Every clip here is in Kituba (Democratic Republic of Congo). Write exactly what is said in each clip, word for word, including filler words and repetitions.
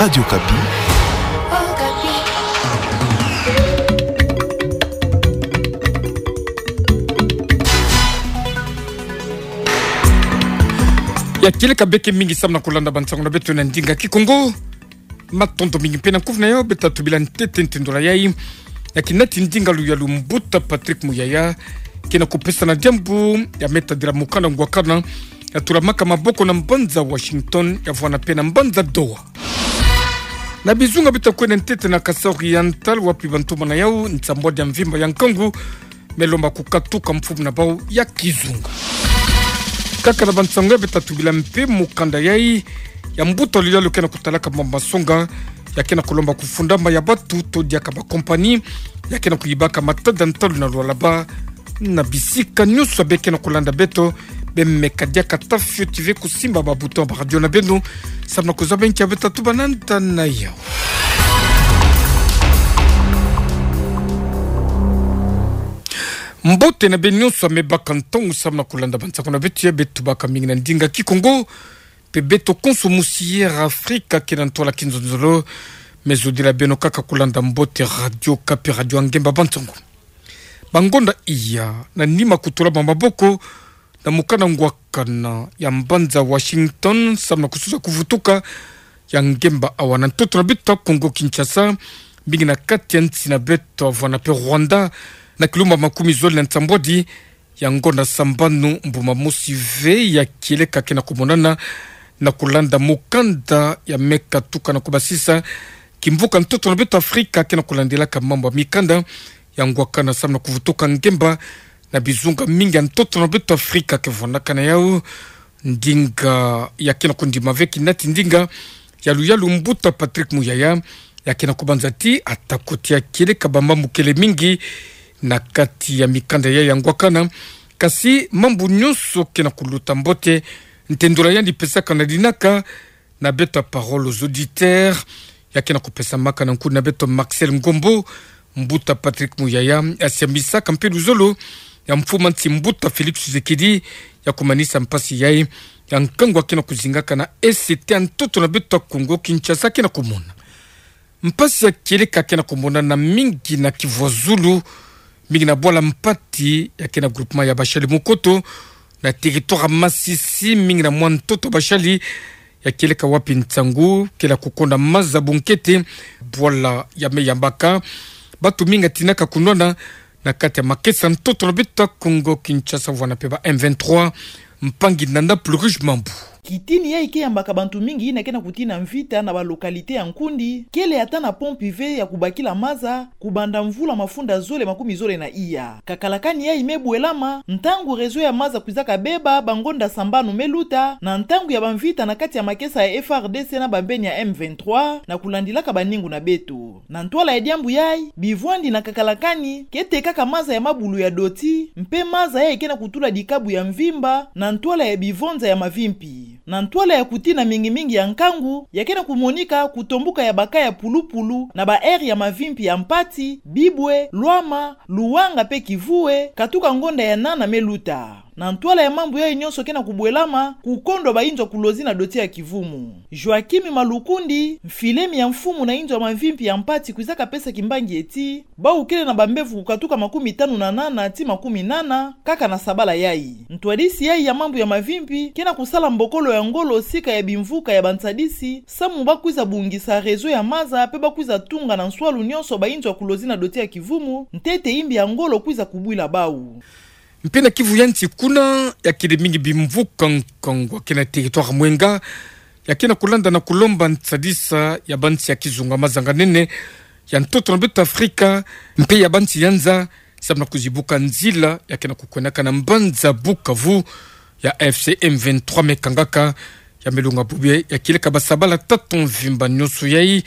Radio Okapi. Ya kieleka beke mingi samu na kulanda bansango na beto na ndinga Kikongo. Matondo mingi mpe na kuvuna yo, beta tubila ntete nte ndola yai. Ya kinati ndinga luyalu Mbuta Patrick Muyaya kena kupesana diambu ya me tadila mukanda ngwakana ya tulamaka maboko na mbanza Washington, ya vwanda mpe na mbanza Doha. Na bizunga beta kwenda ntete na Kasaï Oriental, wapi bantumana yau nsambwadi ya mvimba ya nkangu me lomba kukatuka mfumu na bau ya kizunga. Kaka na bansango ya beta tubila mpe mukanda yai ya mbuta luyalu kena kutalaka mambu ma songa, ya kena kulomba kufundama ya batu to diaka ba compagnie ya kena kuyibaka matada ntalu na lualaba. Na bisika nyonso ya be kena kulanda beto, be meka diaka ta fioti ve kusimba ba bouton ba radio na beno, samu na kuzaba nkia beta tuba na nda na yau. Mbote na beno nyonso ya me baka ntangu samu na kulanda bansango na beto ya beto baka mingi na ndinga Kikongo, mpe beto konso musi Air Afrika kena ntwala kinzonzolo, me zodila beno kaka kulanda mbote Radio Okapi, radio ya ngemba bansango. Bangonda iya, na nima kutula ba maboko na mukanda ngwakana ya mbanza Washington, samu na kusuza kuvutuka ya ngemba awa na ntoto na beto ya Kongo Kinshasa, mingi na kati ya nsi na beto ya vwanda mpe Rwanda, na kilumba makumi zole na nsambwadi ya ngonda sambanu, mbuma mosi ve ya kieleka kena kumonana na kulanda mukanda ya me katuka na kubasisa kimvuka ntoto na beto Afrika kena kulandilaka mambu ya mikanda ya ngwakana samu na kuvutuka ngemba na bizunga mingi ya ntoto na beto Afrika ke vwandaka na yau. Ndinga ya kena kundima ve kinati ndinga ya luyalu Mbuta Patrick Muyaya, ya kena kubanza ti ata ko tia kieleka ba mambu kele mingi na kati ya mikanda ya ya ngwakana, kasi mambu nyonso kena kuluta mbote. Nte ndola yandi pesaka na dinaka na beto ya Parole aux auditeurs, ya kena kupesamaka na nkundi na beto Marcel Ngombo, Mbuta Patrick Muyaya asiambisaka mpe luzolo ya mfumu a nsi Mbuta Félix Tshisekedi ya kumanisa mpasi yai ya nkangu ya kena kuzingaka na E C T ya ntoto na beto ya Kongo Kinshasa kena kumona. Mpasi ya kieleka kena kumonana mingi na Kivu ya Zulu, mingi na bwala Mpati ya kena groupement ya Bashali Mukoto, na territoire ya Masisi, mingi na mwa ntoto Bashali ya kieleka wapi nsangu kela kukonda maza bunkete, bwala ya me yambaka batu mingi ya tinaka kunwana na kati ya makesa ntoto na beto ya Kongo Kinshasa, vwanda mpe ba M vingt-trois. Mpangi Nanda Plus Riche Mambu. Kitini yai ke yambaka bantu mingi yina kena kutina mvita na ba localité ya nkundi, kele ata na pompe ve ya kubakila maza, kubanda mvula mafunda zole makumi zole na iya. Kakala kani yai me bwelama ntangu réseau ya maza kwizaka beba ba ngonda sambanu me luta, na ntangu ya ba mvita na kati ya makesa ya F A R D C na bambeni ya M vingt-trois, na kulandilaka baningu na beto. Na ntwala ya diambu yai, bivwandi na kakala kani ke tekaka maza ya mabulu ya doti, mpe maza yai kena kutula dikabu ya mvimba na ntwala ya bivonza ya mavimpi. Na ntwala ya kutina mingi mingi ya nkangu, ya kena kumonika kutombuka ya ba cas ya pulupulu na ba aire ya mavimpi ya Mpati, Bibwe, Lwama, Luwanga mpe Kivue, katuka ngonda ya nana me luta. Na ntwala ya mambu yai nyonso kena kubwelama, kukondwa ba inzo ya kulozi na doti ya kivumu. Joachim Malukundi, mfilemi ya mfumu na inzo ya mavimpi ya Mpati, kwizaka pesa kimbangi ti, bau kele na bambevo kukatuka makumi tanu na nana ti makumi nana kaka na sabala yai. Ntwadisi yai ya mambu ya mavimpi kena kusala mbokolo ya ngolo sika ya bimvuka ya bansadisi, samu ba kwiza bungisa réseau ya maza mpe ba kwiza tunga na nswalu nyonso ba inzo ya kulozi na doti ya kivumu, ntete imbi ya ngolo kwiza kubwila bau. Mpe na Kivu ya nsi kuna, ya kele mingi bimvuka nkangu ya kena territoire Mwenga, ya kena kulanda na kulomba nsadisa ya bansi ya kizunga mazanga nene ya ntoto na beto Afrika, mpe ya bansi ya nza, samu na kuzibuka nzila ya kena kukwendaka na mbanza Bukavu, ya A F C M vingt-trois me kangaka. Ya me longa bubu ya kieleka ba sabala tatu mvimba nyonso yai,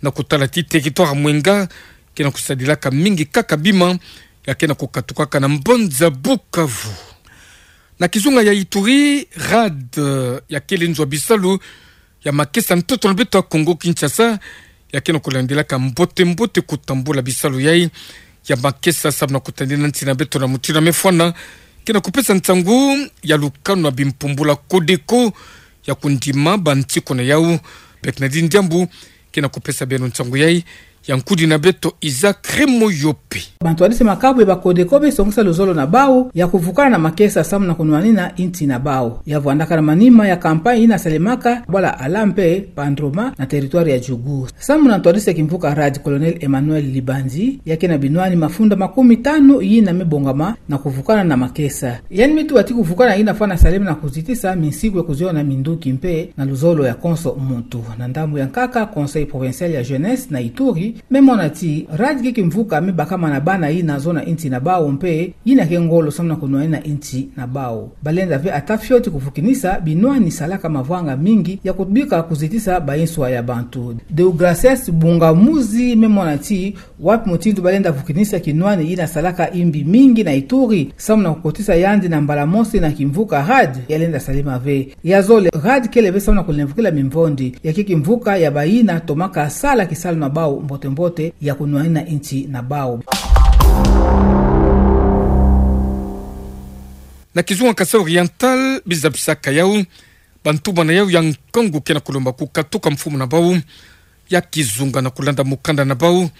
na kutala ti territoire Mwenga kena kusadilaka mingi kaka bima ya kena kukatukaka na mbanza Bukavu. Na kizunga ya Ituri, RAD, eh, ya kele nzo ya bisalu ya makesa ntoto na beto ya Kongo Kinshasa, ya kena kulandilaka mbote mbote kutambula bisalu yai ya makesa samu na kutadina nsi na beto na mutindu ya me fwana, kena kupesa nsangu ya lukanu ya bimpumbula Codeco ya kundima bantikuna yau. Bek na dini diambu, ke na kupesa beno nsangu yai, ya nkudi na beto Isaac Remoyope. Bantwadisi makabu ya ba Codeco me songisa luzolo na bau ya kuvukana na makesa samu na kunwanina insi na bau. Ya vwandaka na manima ya campagne ina salemaka bwala Ala mpe Pandroma na territoire ya Djougou. Samu na ntwadisi ya kimvuka RAD, Colonel Emmanuel Libanzi, ya kena binwani mafunda makumi tanu ina mebongama na kuvukana na makesa. Yandi metuba ti kuvukana ina fwana salema na kuzitisa minsiku ya kuziona minduki mpe na luzolo ya konso muntu. Na ndambu ya nkaka, Conseil Provincial ya Jeunesse na Ituri memona ti RAD ke kimvuka mebakama na bana ina zona insi na bau mpe ina ke ngolo samu na kunwanina insi na bau. Balenda ve ata fioti kuvukinisa binwani salaka mavwanga mingi ya kubika kuzitisa ba inswa ya bantu. Deogracias Bungamuzi memona ti wapi mutindu balenda vukinisa kinwani ina salaka imbi mingi na Ituri, samu na kukotisa yandi na mbala mosi na kimvuka RAD, yalenda salema ve. Ya zole, RAD kele ve samu na kulemvukila mimvondi, ya ke kimvuka ya baina tomaka sala kisalu na bau mbote mbote ya kunwanina insi na bau. Na kizunga Kasaï Oriental, biza bisaka yau, bantu bana yau ya nkangu ke na kulomba kukatuka mfumu na bau ya kizunga na kulanda mukanda na bau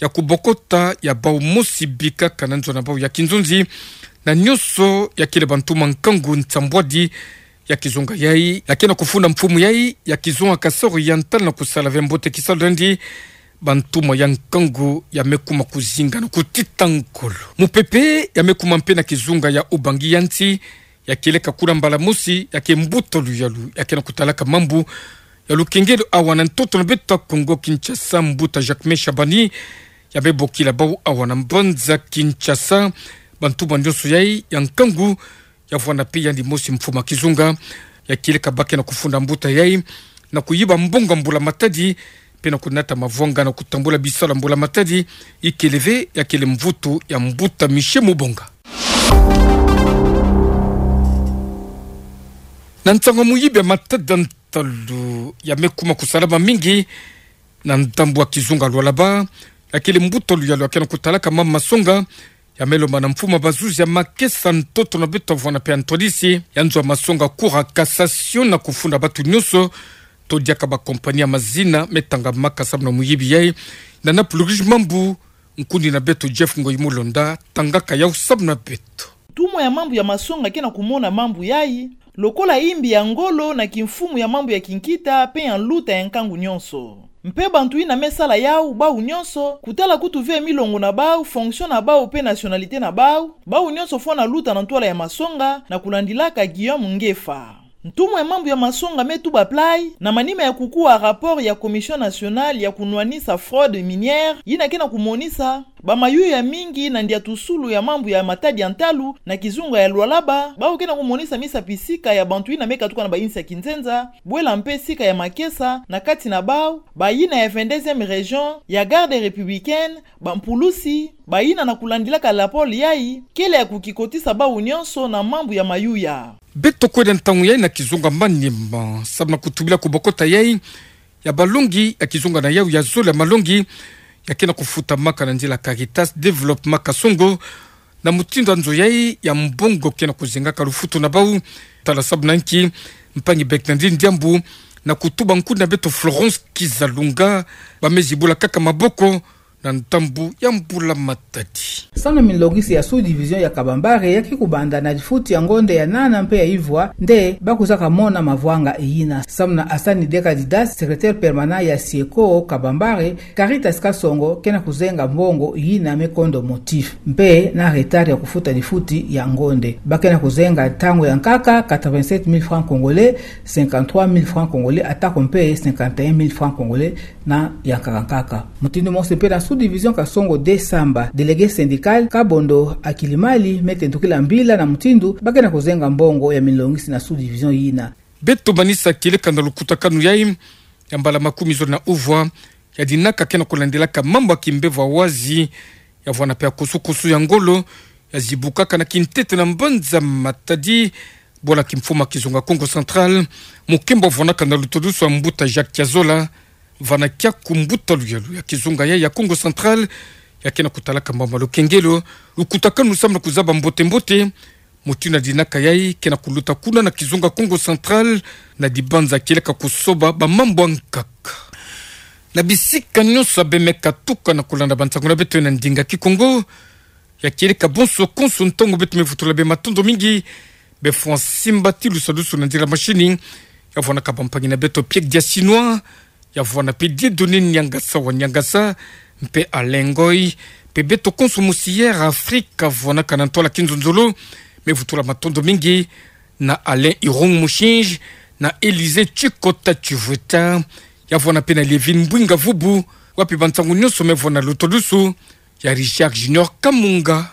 ya kubokota ya bau mosi bikaka na nzo na bau ya kinzonzi, na nyonso ya kele bantu ma nkangu nsambwadi ya kizunga yai, ya ke na kufunda mfumu yai ya kizunga Kasaï Oriental na kusala ve mbote kisalu lendi, bantu ma ya nkangu ya mekuma kuzinga na kutita nkolo. Mupepe ya mekuma mpe na kizunga ya Ubangi ya nsi, ya kieleka kuna mbala mosi, ya ke mbuta luyalu ya ke na kutalaka mambu ya lukengelo awa na ntoto na beto Kongo Kinshasa, mbuta Jacquemain Shabani, ya mebokila bau awa na mbanza Kinshasa, bantu ba nyonso yai ya nkangu, ya vwanda mpe yandi mosi mfumu a kizunga, ya kieleka ba ke na kufunda mbuta yai na kuyiba mbongo a mbula matadi, mpe na kunata mavwanga na kutambula bisalu a mbula matadi, ikele ve ya kele mvutu ya mbuta Michel Mubonga. Na nsangu muyibi ya matada ntalu ya mekuma kusalama mingi na ndambu a kizunga Lualaba, ya kele mbuta luyalu ya ke na kutalaka mambu masonga, ya melomba na mfumu a bazuzi ya makesa ntoto na beto vwanda mpe a ntwadisi ya nzo a masonga Cour ya Cassation na kufunda batu nyonso to diaka ba compagnie ya mazina metangamaka samu na muyibi yai. Na na puluriji mambu, nkundi na beto Jeff Ngoyi Mulonda tangaka yau samu na beto. Ntumwa ya mambu ya masonga ke na kumona mambu yai lokola imbi ya ngolo na kimfumu ya mambu ya kinkita mpe ya nluta ya nkangu nyonso. Mpe bantu ina mesala yau, bau nyonso, kutala kutu ve milongo na bau, fonction na bau mpe nationalité na bau, bau nyonso fwana luta na ntwala ya masonga, na kulandilaka Guillaume Ngefa. Ntumwa ya mambu ya masonga metuba plai, na manima ya kukuwa rapport ya Commission nationale ya kunwanisa fraude minière, ina ke na kumonisa bamayuya mingi na ndiatusulu ya mambu ya matadi ya ntalu na kizunga ya Lualaba, bau ke na kumonisa misapi sika ya bantu ina mekatuka na bainsi ya kinzenza, bwela mpe sika ya makesa, na kati na bau, bayina ya vingt-deuxième région, ya garde républicaine, bampulusi, bayina na kulandilaka la pole yai, kele ya kukikotisa bau nyonso na mambu ya mayuya. Beto kwenda ntangu yai na kizunga Maniema, samu na kutubila kubokota yai ya balongi ya kizunga na yau ya zole ya malongi ya ke na kufutamaka na nzila Caritas Développement Kasongo, na mutindu a nzo yai ya mbongo ke na kuzengaka lufutu na bau, tala samu na nki mpangi Bernardine Diambu na kutuba nkundi na beto Florence Kizalunga, ba mezi bula kaka maboko na ndambu ya mbula matadi. Samu na milongisi ya sous-division ya Kabambare ya ke kubanda na difuti ya ngonde ya nana mpe ya ivwa nde ba kuzaka mona mavwanga yina. Samu na Hassan Dekadidas, secrétaire permanent ya Sieko Kabambare, Caritas Kasongo ke na kuzenga mbongo yina me kondo motif mpe na retard ya kufuta difuti ya ngonde. Ba ke na kuzenga ntangu ya nkaka quatre-vingt-sept mille francs congolais, cinquante-trois mille francs congolais, atako mpe cinquante et un mille francs congolais na ya nkaka nkaka. Mutindu mosi mpe na sous-division Kasongo deux Samba, délégué syndical Kabondo Akilimali me tendukila mbila na mutindu ba ke na kuzenga mbongo ya milongisi na sous-division yina. Beto manisa kieleka na lukutakanu yai ya mbala makumi zole na uvwa ya dinaka ke na kulandilaka mambu ya kimbevo ya wazi, ya vwanda mpe ya kusukusu ya ngolo, ya zibukaka na kintete na mbanza Matadi, bwala kimfumu a kizunga Kongo Central, mukembo vwanaka na lutodusu a mbuta Jacques Kiazola, vana kiaku mbuta luyalu ya kizunga yai ya Kongo Central, ya ke na kutalaka mambu ma lukengelo, lukutakanu samu na kuzaba mbote mbote mutindu na dinaka yai ke na kuluta kuna na kizunga Kongo Central, na dibanza kieleka kusoba bamambu ya nkaka. Na bisika nyonso abe me katuka na kolanda bansangu na beto na ndinga Kikongo, ya kere ka bonso konso ntongo beto me vutula be matondo mingi be fwa simba ti lusalusu na nzila mashini. Ya vwana ka bampangi na beto Piek Dia Chinois, ya vwana pe Dieudonné Niangasa wa Niangasa, mpe Alain Ngoy, mpe beto konso mosi Air Afrique, ya vwana ka na ntwala kinzonzolo, me vutula matondo mingi na Alain Irung Mushinji, na Élysée Chikota Chivueta, ya vwana pe na Lievine Mbwinga Vubu, wapi bansangu nyonso me vwana luto lusu, ya Richard Junior Kamunga.